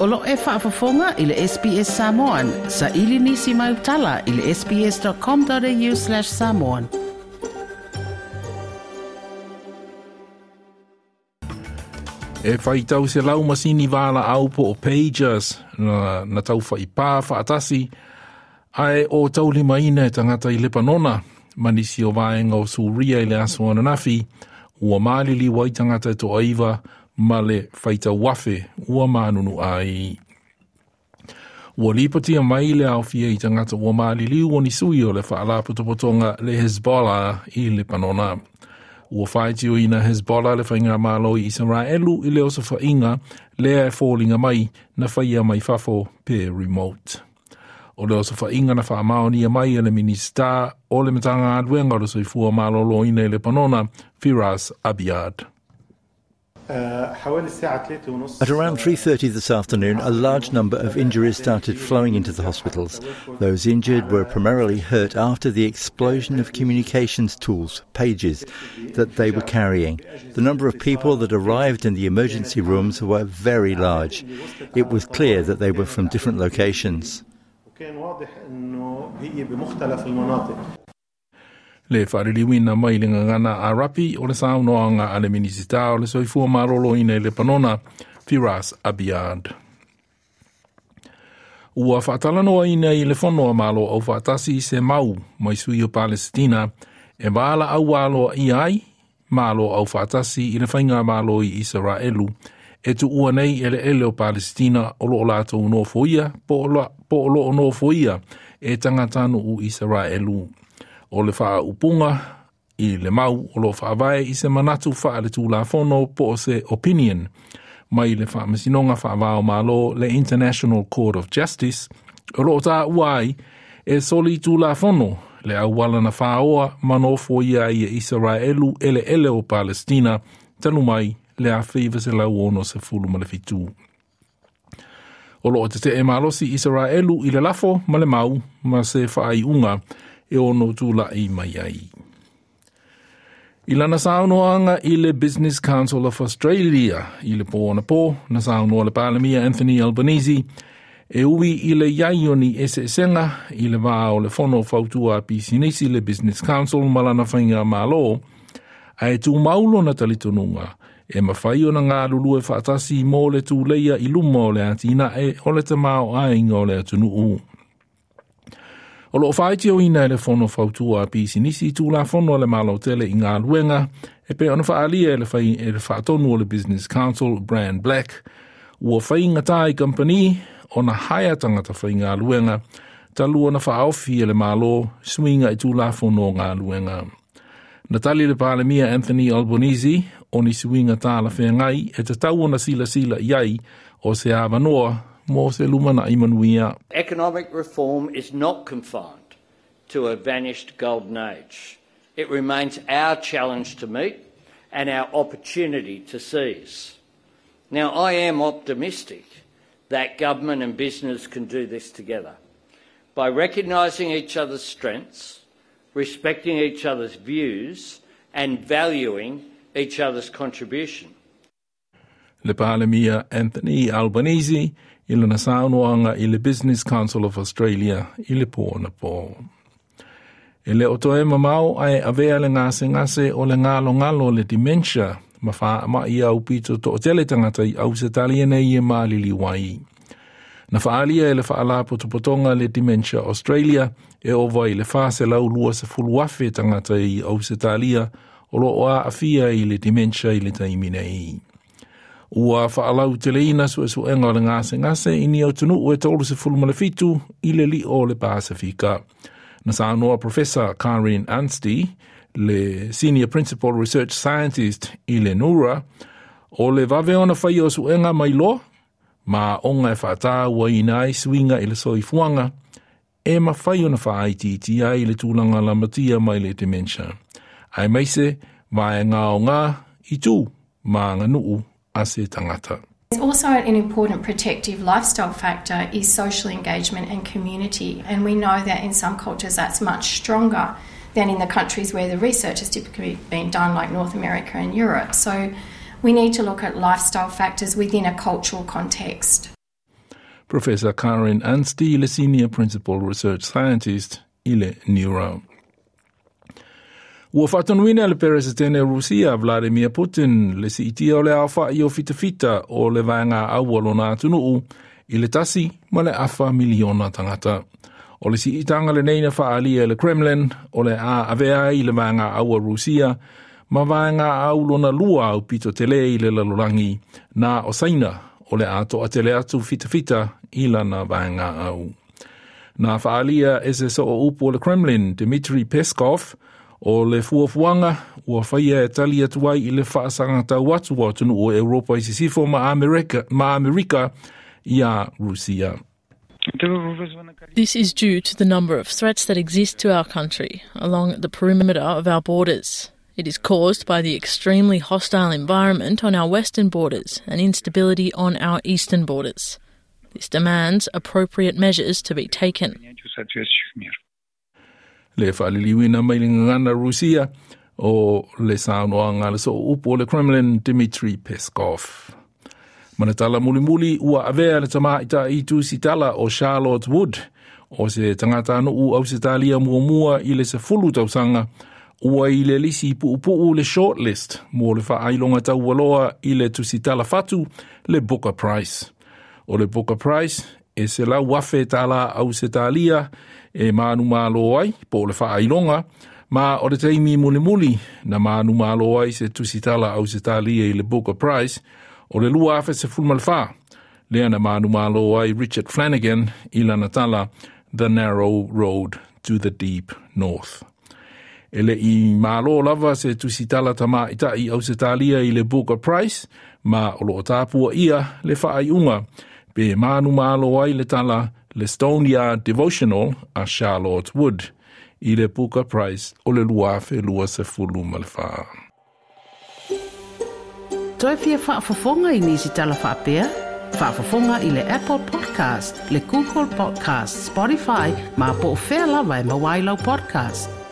O lo o e faafofoga i le SBS Samoan. Saili nisi mau tala i le sbs.com.au/samoan. E faitau selau masini valaau po o pagers na taufaipā faatasi ae o taulimaina e tagata i Lepanona ma nisi o vaega o Suria i le aso ananafi ua maliliu ai tagata e toaiva ma le faitau afe ua manunu ai. Ua lipotia mai le aofia i tagata ua maliliu o ni sui o le faalapotopotoga le Hezbollah i Lepanona. Ua faitioina Hezbollah le faigamalo i Isaraelu i le osofaiga lea e foliga mai na faia mai fafo pe remote. O le osofaiga na faamaonia mai e le Minisita o le Matagaluega o le Soifua Maloloina i Lepanona, Firas Abiad. At around 3:30 this afternoon, a large number of injuries started flowing into the hospitals. Those injured were primarily hurt after the explosion of communications tools, pages, that they were carrying. The number of people that arrived in the emergency rooms were very large. It was clear that they were from different locations. Le faaliliuina mai le gagana Arapi o le saunoaga a le Minisita o le Soifua Maloloina i Lepanona, Firas Abiad. Ua faatalanoaina i le Fono a Malo Aufaatasi se mau mai sui o Palesitina e valaau aloaia ai Malo Aufaatasi i le faigamalo i Isaraelu e tuua nei eleele o Palesitina o loo latou nofoia po o loo nofoia e tagatanuu Isaraelu. O le faaupuga i le mau o lo faavae i se manatu faaletulafono po o se opinion mai le faamasinoga faavao malo le International Court of Justice o loo taua ai e soli tulafono le auala na faaoa ma nofoia ai e Isaraelu eleele o Palestina talu mai le 1967. O loo tetee malosi Isaraelu i le lafo ma le mau ma se faaiuga e ono tula'i mai ai. I lana saunoaga i le Business Council of Australia i le pō anapo, na saunoa le Palemia Anthony Albanese e ui i le iai o ni eseesega i le va o le Fono Fautua a Pisinisi le Business Council ma lana faigamalo, ae tumau lona talitonuga e mafai ona galulue faatasi mo le tuleia i luma o le atinae o le tamaoaiga o le atunuu. O loo faitioina e le Fono Fautua a Pisinisi Tulafono a le Malo tele i galuega e pei ona faaalia e le fai e le faatonu o le Business Council Brand Black ua faigatā i kamupani ona haea tagata faigaluega talu ona faaofi e le Malo suiga i Tulafono o galuega. Na tali le Palemia Anthony Albanese o ni suiga talafeagai e tatau ona silasila i ai o se avanoa mo se lumanai manuia. Economic reform is not confined to a vanished golden age. It remains our challenge to meet and our opportunity to seize. Now, I am optimistic that government and business can do this together. By recognising each other's strengths, respecting each other's views and valuing each other's contribution. Le Palemia Anthony Albanese i lana saunoaga i le Business Council of Australia i le pō anapo. E le o toe mamao ae avea le gasegase o le galogalo le dementia ma faamai aupito toatele tagata i Ausetalia nei e maliliu ai. Na faaalia e le faalapotopotoga le Dementia Australia e ova i le 420,000 tagata i Ausetalia o loo aafia i le dementia i le taimi nei. Ua faalauteleina suesuega o le gasegase i ni atunuu e 37 i le lio o le Pasifika. Na saunoa Professor Karen Anstey, le Senior Principal Research Scientist i le NeuRA, o le vave ona faia o suega mailoa, ma aoga e faatauaina ai suiga i le soifuaga, e mafai ona faaitiitia ai le tulaga lamatia mai le dementia. Aemaise vaega aoga i tu ma aganuu a se tagata. Also, an important protective lifestyle factor is social engagement and community, and we know that in some cultures that's much stronger than in the countries where the research has typically been done, like North America and Europe. So, we need to look at lifestyle factors within a cultural context. Professor Karen Anstey, le Senior Principal Research Scientist i le Neuro. Ua faatonuina le Peresetene o Rusia Vladimir Putin le siitia o le aofa'i o fitafita o le vaega au o lona atunuu i le 1.5 miliona tagata. O le siitaga lenei na faaalia e le Kremlin o le a avea ai le vaega au a Rusia ma vaega au lona lua aupito tele i le lalolagi na o Saina o le a toatele atu fitafita i lana vaega au. Na faaalia e se soo upu o le Kremlin Dmitry Peskov o le fuafuaga ua faia e tali atu ai i le faasagatau atu o atunuu o Europa i sisifo ma Amerika iā Rusia. This is due to the number of threats that exist to our country along the perimeter of our borders. It is caused by the extremely hostile environment on our western borders and instability on our eastern borders. This demands appropriate measures to be taken. Le faaliliuina mai le gagana Rusia o le saunoaga a le soo upu o le Kremlin Dmitry Peskov. Ma le tala mulimuli ua avea le tamaita'i tusitala o Charlotte Wood o se tagatanuu Ausetalia muamua i le 10 tausaga ua i le lisi puupuu le shortlist mo le faailoga taualoa i le tusitala fatu le Booker Prize. O le Booker Prize e 100,000 tālā Ausetalia e manumalo ai po o le faailoga ma o le taimi mulimuli na manumalo ai se tusitala Ausetalia i le Booker Prize o le 2014 lea na manumalo ai Richard Flanagan i lana tala The Narrow Road to the Deep North. E le i malo lava se tusitala tamaita'i Ausetalia i le Booker Prize ma o loo tapua ia le faaiuga pe manumalo ai le tala le Stoneyard Devotional a Charlotte Wood i le Booker Prize o le 2024. Toe fia faafofoga i nisi tala faapea? Faafofoga i le Apple Podcast, le Google Podcast, Spotify, ma po o fea lava e maua ai lau podcast.